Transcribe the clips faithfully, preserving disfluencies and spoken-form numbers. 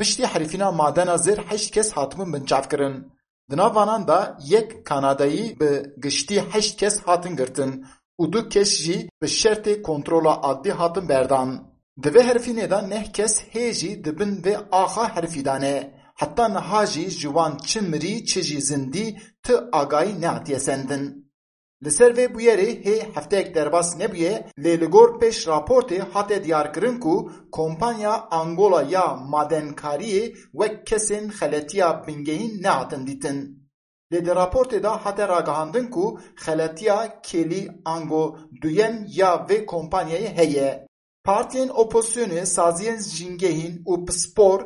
Piştî herifîna madena zêr heşt kes hatibûn binçavkirin. Di nav vanan de yek Kanadayî bi giştî heşt kes hatin girtin û du kes jî bi şertê kontrola adlî hatin berdan. Di vê herifînê de neh kes hê jî di bin vê axa herifî de ne. Heta niha jî ji wan çi mirî çi jî zindî ti agahî nehatiye sendin. Li ser vê bûyerê hê hefteyek derbas nebûye, lê li gor pêş raportê hate diyarkirin ku kompanya Angola ya madenkariyê wek kesên xeletiya bingehîn nehatin dîtin. Lê di raportê de hate ragihandin ku xeletiya kêlî ango duyem ya vê kompanyayê heye. Partiyên opozisyonê, saziyên jîngehîn û pispor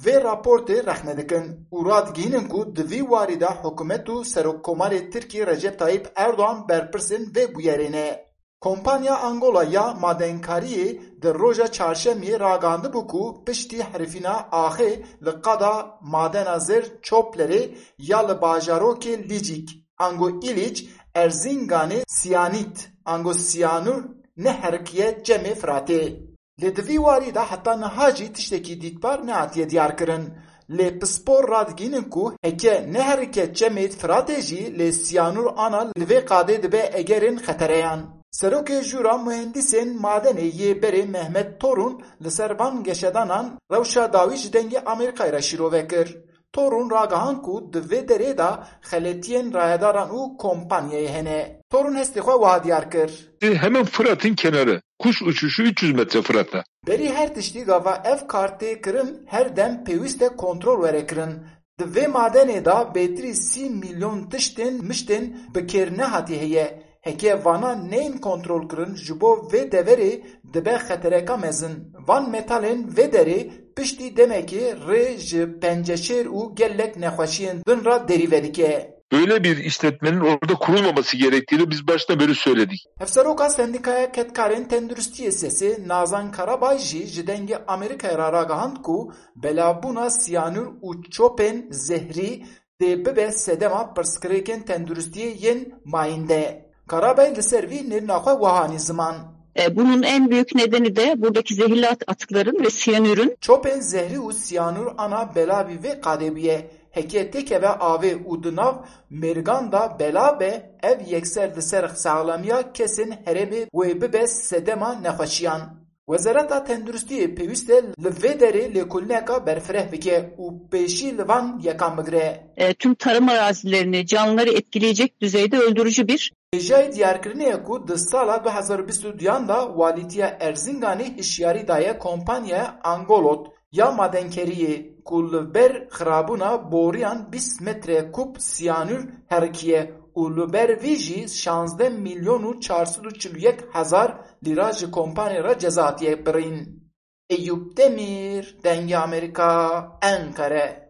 vê raportê rexne dikin û radigihînin ku di vî warî de hikûmet û Serokkomarê Tirkî Recep Tayyip Erdogan berpirsên vê bûyerê ne. Kompanya Angola ya madenkariyê di roja çarşemiyê ragihandibû ku piştî herifîna axê li qada madena zêr Çoplerê ya li bajarokê Licik, ango Îlîc, Erzinganê siyanît, ango siyanûr neherikiye Çemê Firatê. Lê di vî warî de heta niha jî tiştekî dîtbar nehatiye diyarkirin. Lê pispor radigihînin ku heke neherike Çemê Firatê jî lê siyanûr ana li vê qadê dibe egerên xetereyan. Serokê Jûra Muhendîsên Madenê yê berê Mehmet Torun li ser van geşedanan rewşa dawî ji Dengê Amerîkayê re şîrove kir. Torun ragihand ku di vê derê de xeletiyên rayedaran û kompanyayê hene. Torun hestê xwe wiha diyar kir. Hemen Fırat'ın kenarı. Kuş uçuşu üç yüz metre Fırat'a. Berî her tiştî gava ev kar tê kirin her dem pêwîst e kontrol were kirin. Di vê madenê de bêtirî sî milyon tiştên miştên bi kêr nehatî heye. Heke vana neyên kontrolkirin ji bo vê deverê dibe xetereka mezin. Van metalên vê derê piştî demekê rê ji penceşêr û gelek nexweşiyên din re derî vedike. Böyle bir işletmenin orada kurulmaması gerektiğini biz baştan beri söyledik. Hevseroka Sendîkaya Kedkarên Tenduristiyê SESê Nazan Karabay jî ji Dengê Amerîkayê re ragihand ku belabûna siyanûr û çopên zehrî dê bibe sedema pirsgirêkên tenduristiyê yên mayînde. Karabay li ser vî nêrîna xwe wiha anî ziman. E, bunun en büyük nedeni de buradaki zehirli at-, atıkların ve siyanürün. Çopên zehrî û siyanûr ana belavî vê qadê bûye. Heke têkeve avê û di nav mêrgan de belav be, ev yekser li ser saxlamiya kesên herêmê wê bibe sedema nexweşiyan. Wezareta Tenduristiyê pêwîst e li vê derê lêkolîneka berfireh bike û pêşî li van yekan bigire. E, tüm tarım arazilerini, canlıları etkileyecek düzeyde öldürücü bir. Hêjayî diyarkirinê ye ku di sala du hezar û bîst û duyan de Walîtiya Erzinganê hişyarî daye kompanya Angolot ya madenkeriyê ku li ber xirabûna boriyan bîst metre kûb siyanûr herikiye û li ber vî jî şazdeh milyon û çar sed û çil û yek hezar lîra ji kompanê re ceza hatiye birîn. Eyûp Demîr, Dengê Amerîka, Enqere.